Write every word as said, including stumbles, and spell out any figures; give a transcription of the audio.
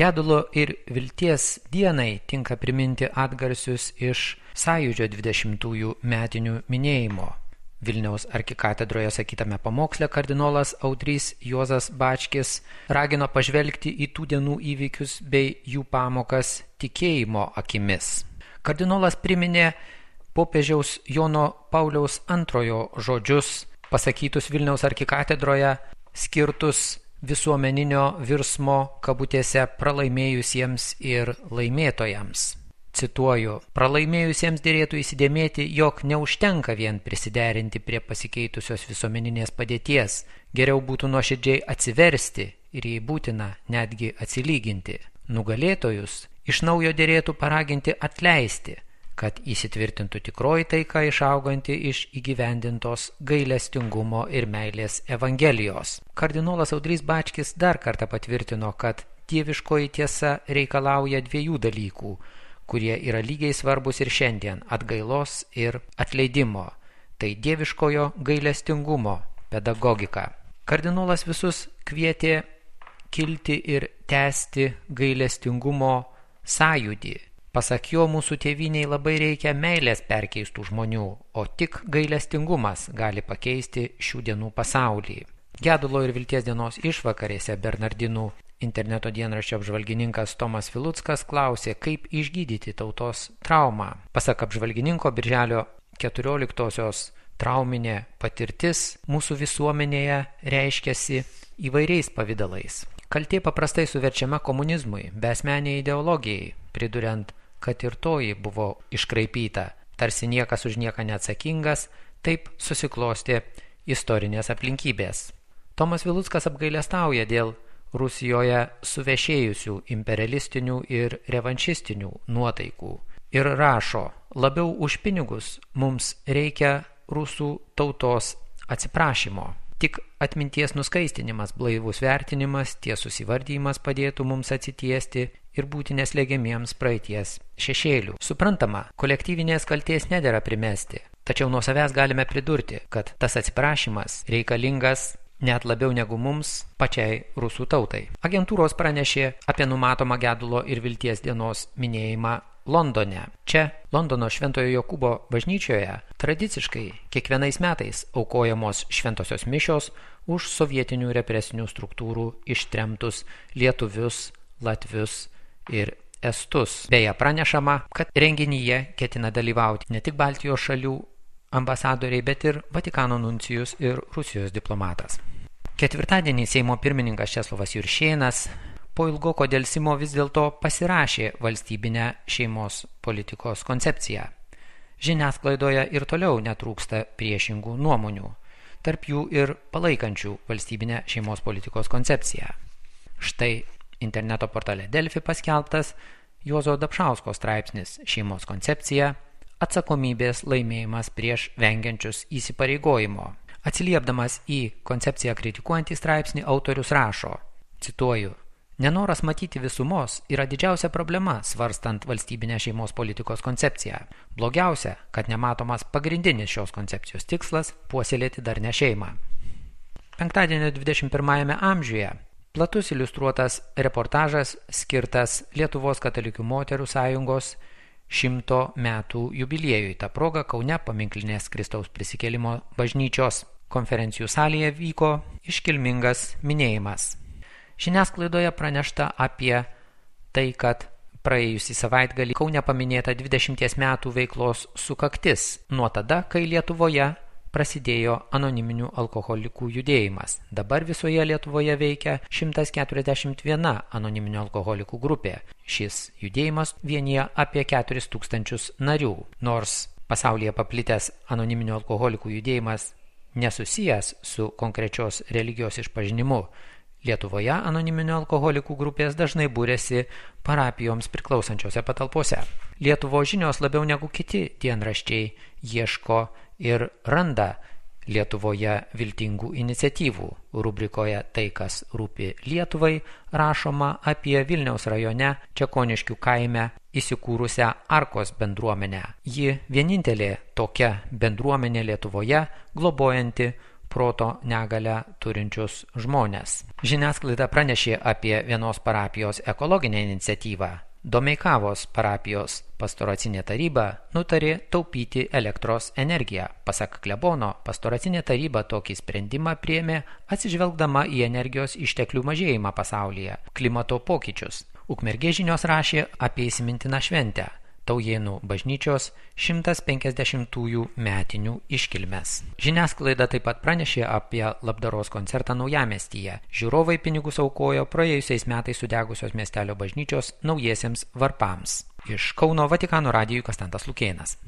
Gedulo ir vilties dienai tinka priminti atgarsius iš Sąjūdžio dvidešimtųjų metinių minėjimo. Vilniaus arkikatedroje sakytame pamoksle kardinolas Audrys Juozas Bačkis ragino pažvelgti į tų dienų įvykius bei jų pamokas tikėjimo akimis. Kardinolas priminė popiežiaus Jono Pauliaus antrojo žodžius, pasakytus Vilniaus arkikatedroje, skirtus visuomeninio virsmo kabutėse pralaimėjusiems ir laimėtojams. Cituoju, pralaimėjusiems dėrėtų įsidėmėti, jog neužtenka vien prisiderinti prie pasikeitusios visuomeninės padėties, geriau būtų nuoširdžiai atsiversti ir jei būtina netgi atsilyginti. Nugalėtojus iš naujo dėrėtų paraginti atleisti, kad įsitvirtintų tikroji taika išauganti iš įgyvendintos gailestingumo ir meilės evangelijos. Kardinolas Audrys Bačkis dar kartą patvirtino, kad dieviškoji tiesa reikalauja dviejų dalykų, kurie yra lygiai svarbus ir šiandien – atgailos ir atleidimo. Tai dieviškojo gailestingumo pedagogika. Kardinolas visus kvietė kilti ir tęsti gailestingumo sąjūdį. Pasak jo, mūsų tėvynei labai reikia meilės perkeistų žmonių, o tik gailestingumas gali pakeisti šių dienų pasaulį. Gedulo ir vilties dienos išvakarėse Bernardinų interneto dienraščio apžvalgininkas Tomas Viluckas klausė, kaip išgydyti tautos traumą. Pasak apžvalgininko, birželio keturioliktosios trauminė patirtis mūsų visuomenėje reiškiasi įvairiais pavidalais. Kaltė paprastai suverčiama komunizmui, beasmeniai ideologijai, priduriant, kad ir toji buvo iškraipyta, tarsi niekas už nieką neatsakingas, taip susiklostė istorinės aplinkybės. Tomas Viluckas apgailestauja dėl Rusijoje suvešėjusių imperialistinių ir revanšistinių nuotaikų ir rašo, labiau už pinigus mums reikia rusų tautos atsiprašymo. Tik atminties nuskaistinimas, blaivus vertinimas, tiesus įvardyjimas padėtų mums atsitiesti ir būti neslegiamiems praeities šešėlių. Suprantama, kolektyvinės kaltės nedera primesti, tačiau nuo savęs galime pridurti, kad tas atsiprašymas reikalingas net labiau negu mums pačiai rusų tautai. Agentūros pranešė apie numatomą Gedulo ir vilties dienos minėjimą Londone. Čia, Londono Šventojo Jokūbo bažnyčioje, tradiciškai kiekvienais metais aukojamos šventosios mišios už sovietinių represinių struktūrų ištremtus lietuvius, latvius ir estus. Beje, pranešama, kad renginyje ketina dalyvauti ne tik Baltijos šalių ambasadoriai, bet ir Vatikano nuncijus ir Rusijos diplomatas. Ketvirtadienį Seimo pirmininkas Česlovas Juršėnas po ilgoko delsimo vis dėlto pasirašė valstybinę šeimos politikos koncepciją. Žiniasklaidoje ir toliau netrūksta priešingų nuomonių, tarp jų ir palaikančių valstybinę šeimos politikos koncepciją. Štai interneto portale Delfi paskelbtas Juozo Dapšausko straipsnis Šeimos koncepcija – atsakomybės laimėjimas prieš vengiančius įsipareigojimo. Atsiliepdamas į koncepciją kritikuojantį straipsnį, autorius rašo, cituoju, nenoras matyti visumos yra didžiausia problema svarstant valstybinę šeimos politikos koncepciją. Blogiausia, kad nematomas pagrindinis šios koncepcijos tikslas – puoselėti darnią šeimą. Penktadienio dvidešimt pirmajame amžiuje platus iliustruotas reportažas skirtas Lietuvos katalikų moterų sąjungos šimto metų jubiliejui. Ta proga Kaune paminklinės Kristaus prisikėlimo bažnyčios konferencijų salėje vyko iškilmingas minėjimas. Žiniasklaidoje pranešta apie tai, kad praėjusį savaitgalį Kaune paminėta dvidešimties metų veiklos sukaktis nuo tada, kai Lietuvoje prasidėjo anoniminių alkoholikų judėjimas. Dabar visoje Lietuvoje veikia šimtas keturiasdešimt viena anoniminių alkoholikų grupė. Šis judėjimas vienija apie keturis tūkstančius narių. Nors pasaulyje paplitęs anoniminių alkoholikų judėjimas nesusijęs su konkrečios religijos išpažinimu, Lietuvoje anoniminių alkoholikų grupės dažnai būrėsi parapijoms priklausančiose patalpose. Lietuvos žinios labiau negu kiti dienraščiai ieško ir randa Lietuvoje viltingų iniciatyvų. Rubrikoje Tai, kas rūpi Lietuvai, rašoma apie Vilniaus rajone Čekoniškių kaime įsikūrusią Arkos bendruomenę. Ji vienintelė tokia bendruomenė Lietuvoje, globojanti proto negalią turinčius žmones. Žiniasklaida pranešė apie vienos parapijos ekologinę iniciatyvą. Domeikavos parapijos pastoracinė taryba nutarė taupyti elektros energiją. Pasak klebono, pastoracinė taryba tokį sprendimą priėmė atsižvelgdama į energijos išteklių mažėjimą pasaulyje, klimato pokyčius. Ukmergės žinios rašė apie įsimintiną šventę – Taujėnų bažnyčios šimtas penkiasdešimtųjų metinių iškilmes. Žiniasklaida taip pat pranešė apie labdaros koncertą Naujamiestyje. Žiūrovai pinigus aukojo praėjusiais metais sudegusios miestelio bažnyčios naujiesiems varpams. Iš Kauno Vatikano radijui Konstantas Lukėnas.